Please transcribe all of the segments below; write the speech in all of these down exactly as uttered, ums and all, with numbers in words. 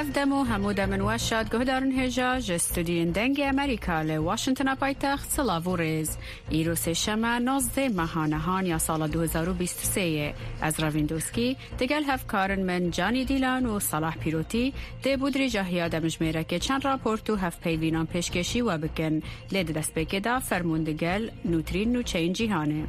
Ev dem û hemû demên we şad guhdarên hêja ji stûdiyên Dengê Amerîka li Washingtona paytext, silav û rêz. Îro sêşeme nozdeh meha nehan ya sala du hezar û bîst û sê ye. Ez Revîn Doskî, digel hevkarên min Canî Dîlan û Salah Pîrotî, dê bo dirêjahiya demjimêrekê çend raport û hevpeyvînan pêşkêşî we bikin. Lê di destpêkê de fermûn digel nûtirîn nûçeyên cîhanê.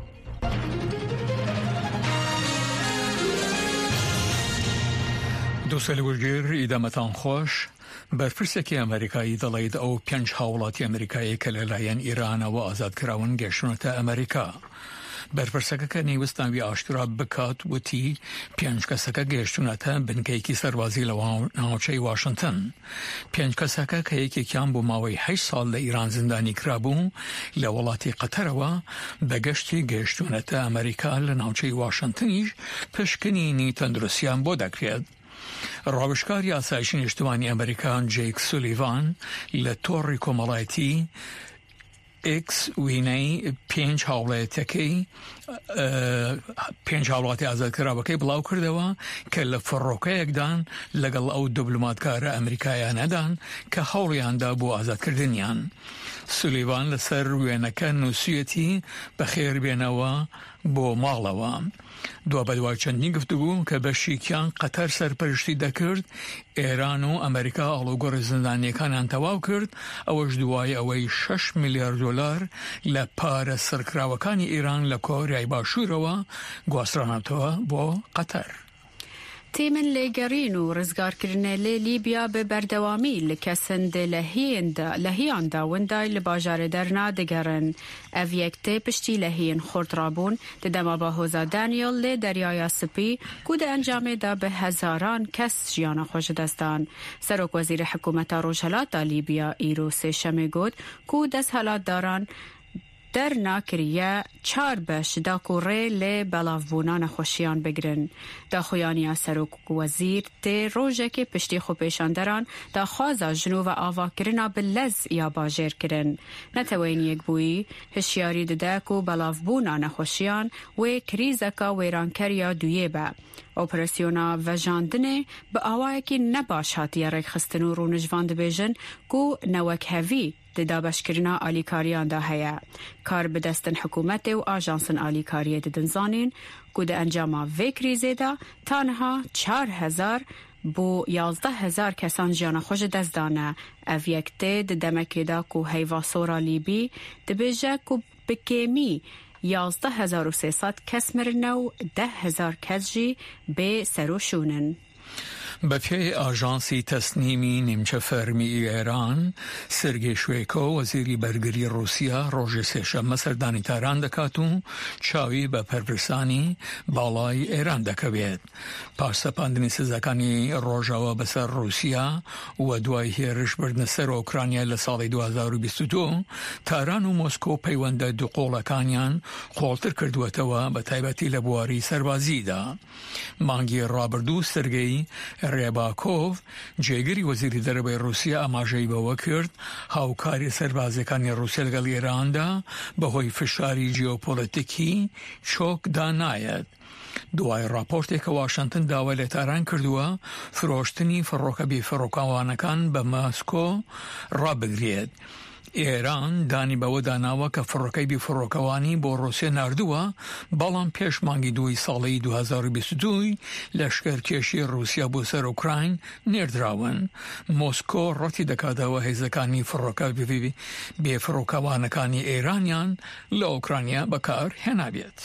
Dostê li wir gir, îdemetan xweş. Berpirsekî Amerîkayî diڵêt ئەو پێنج هاوڵاتی ئەمریکایە کە لەلایەن ئێرانەوە ئازاد کراون گەشتونەتە ئەمریکا. بەرپرسەکە کە نەیویست ناوی ئاشکرا بکات، وتی، پێنج کەسەکە گەشتونەتە بنکەیەکی سەربازی لە وا-، ناوچەی واشنگتن. پێنج کەسەکە کە یەکێکیان بۆ ماوەی هەشت ساڵ لە ئێران زیندانی کرابوو، لە وڵاتی قەتەرەوە بە گەشتی گەشتونەتە ئەمریکا، لە ناوچەی واشنگتنیش پشکنینی تەندروستیان بۆ دەکرێت. ڕاوشکاری ئاسایشی نیشتمانی ئەمریکا جەیک سولیڤان لە تۆڕی کۆمەڵایەتی ئێکس وینەی پێنج هاوڵاتیەکەی، ئە، پێنج هاوڵاتی ئازادکراوەکەی بڵاو کردەوە کە لە فڕۆکەیەکدان لەگەڵ ئەو دبلوماتکارە ئەمریکایانەدان کە هەوڵیاندا بۆ ئازادکردنیان. سولیڤان لەسەر وێنەکە نووسیەتی، بەخێر بێنەوە بۆ ماڵەوە. دوا بەدوای چەندین گفتوگو کە بەشێکیان قەتەر سەرپەرشتی دەکرد، ئێران و ئەمریکا ئاڵوگۆڕی زیندانیەکانیان تەواو کرد، ئەوەش دوای ئەوەی شەش ملیار دۆلار لە پارە سڕکراوەکانی ئێران لە کۆریای باشوورەوە گواسترانەتەوە بۆ قەتەر. Tîmên lêgerîn û rizgarkirinê lê Lîbya bi berdewamî li kesên di lehiyên de, lehiyan de windayî li bajarê Derna digerin. Ev yek tê piştî lehiyên xurt rabûn di dema bahoza Daniel lê Deryaya Spî, ku di encamê de bi hezaran kes jiyana xwe ji dest dan. Serokwezîrê Hikûmeta Rojhelata Lîbya îro Sêşemê got ku desthilatdaran Derna kiriye çar beş da ku rê li belavbûna nexweşiyan bigirin. Daxuyaniya serok wezîr tê rojekê piştî xwepêşanderan daxwaza jin û veavakirina bi lez ya bajêr kirin. Neteweyên Yekbûyî hişyarî dide ku belavbûna nexweşiyan wê krîzeka wêranker ya duyê be. Operasyona vejandinê bi awayekî nebaş hatiye rêkxistin û rûniştvan dibêjin ku newekhevî di dabeşkirina alîkariyan de heye. Kar bi destên hikûmetê û ajansên alîkariyê didin zanîn ku di encama vê krîzê de ta niha çar hezar bo yazdeh hezar kesan jiyana xwe ji dest dane. Ev yek tê di demekê de ku heyva sora Lîbî dibêje ku bi kêmî yazdeh hezar û sê sed kes mirine û deh hezar kes jî bê ser û şûn in. بە پێی ئاژانسی تەسنیمی نیمچە فەرمی ئێران، سێرگێ شوێکۆ، وەزیری بەرگری ڕووسیا، ڕۆژی سێشەممە سەردانی تاران دەکات و چاوی بە پەرپرسانی باڵای ئێران دەکەوێت. پاش سەپاندنی سزاکانی ڕۆژاوا بەسەر ڕووسیا و دوای هێرش بردنە سەر ئۆکرانیا لە ساڵی دوو هەزار و بیست و دوو، تاران و مۆسکۆ پەیوەندە دووقۆڵەکانیان قۆڵتر کردووەتەوە، بە تایبەتی لە بواری سەربازیدا. مانگی ڕابردوو سرگەی ڕێباکۆڤ، جێگری وەزیری دەرەوەی ڕووسیا، ئاماژەی بەوە کرد، هاوکاری سەربازەکانی ڕووسیا لەگەڵ ئێراندا بەهۆی فشاری جیۆپۆلیتیکی چۆک دانایەت. دوای راپۆرتێک کە واشنگتن داوای لە تاران کردووە فرۆشتنی فڕۆکە بێفڕۆکەوانەکان بە ماسکۆ ڕابگرێت. ئێران دانی بەوە داناوە کە فڕۆکەی بێفڕۆکەوانی بۆ ڕووسیا ناردووە، بەڵام پێش مانگی دووی ساڵی دوو هەزار و بیست و دوو لەشکەرکێشی ڕووسیا بۆ سەر ئۆکراین نێردراون. مۆسکۆ ڕەتی دەکاتەوە هێزەکانی فڕۆکە بێ-، بێفڕۆکەوانەکانی ئێرانیان لە ئۆکرانیا بەکار هێنابێت.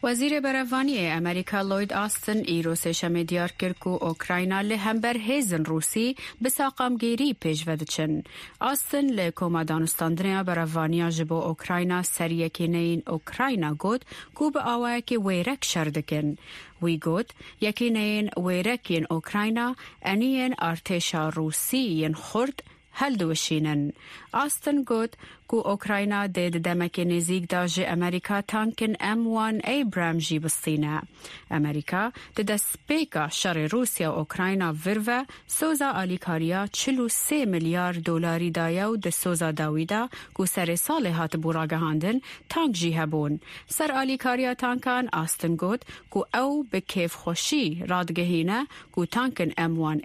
Wezîrê Berevaniyê Amerîka Lloyd Austin îro sêşemê diyar kir ku Ukrayna li hember hêzên Rûsî bi saqamgêrî pêş ve diçin. Austin li koma danûstandinê ya berevaniya ji bo Ukrayna ser yekîneyên Ukrayna got ku bi awayekî wêrek şer dikin. Wî got, yekîneyên wêrek yên Ukrayna eniyên artêşa Rûsî yên xurt heldiwişînin. Austin got ku Ukrayna dê di demekê nêzîk de ji Amerîka tankên M one Abrams jî bistîne. Amerîka di destpêka şerê Rûsya û Ukrayna vir ve soza alîkariya çil û sê milyar dolarî daye û di soza dawî de ku serê salê hatibû ragihandin, tank jî hebûn. Ser alîkariya tankan Austin got ku ew bi kêfxweşî radigihîne ku tankên M one